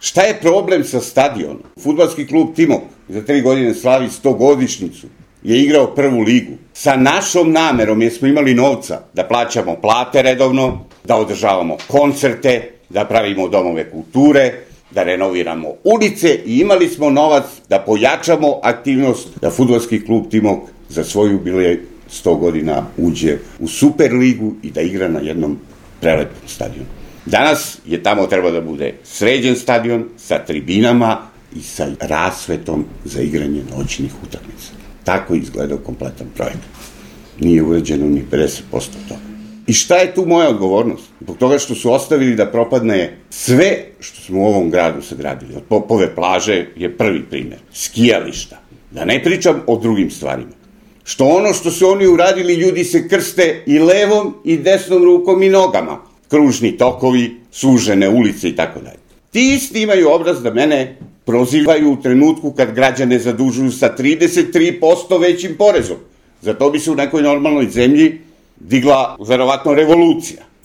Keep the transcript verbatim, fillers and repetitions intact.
Šta je problem sa stadionom? Fudbalski klub Timok za tri godine slavi stogodišnjicu, je igrao prvu ligu. Sa našom namerom, jer smo imali novca da plaćamo plate redovno, da održavamo koncerte, da pravimo domove kulture, da renoviramo ulice i imali smo novac da pojačamo aktivnost da fudbalski klub Timok za svoju jubilej sto godina uđe u Super ligu i da igra na jednom prelepom stadionu. Danas je tamo treba da bude sređen stadion sa tribinama i sa rasvetom za igranje noćnih utakmica. Tako je izgledao kompletan projekat. Nije uređeno ni pedeset posto toga. I šta je tu moja odgovornost? Zbog toga što su ostavili da propadne sve što smo u ovom gradu sagradili. Od Popove plaže je prvi primer. Skijališta. Da ne pričam o drugim stvarima. Što ono što su oni uradili, ljudi se krste i levom i desnom rukom i nogama. Kružni tokovi, sužene ulice i tako dalje. Ti isti imaju obraz da mene prozivaju u trenutku kad građane zadužuju sa trideset tri posto većim porezom. Za to bi se u nekoj normalnoj zemlji digla verovatno revolucija.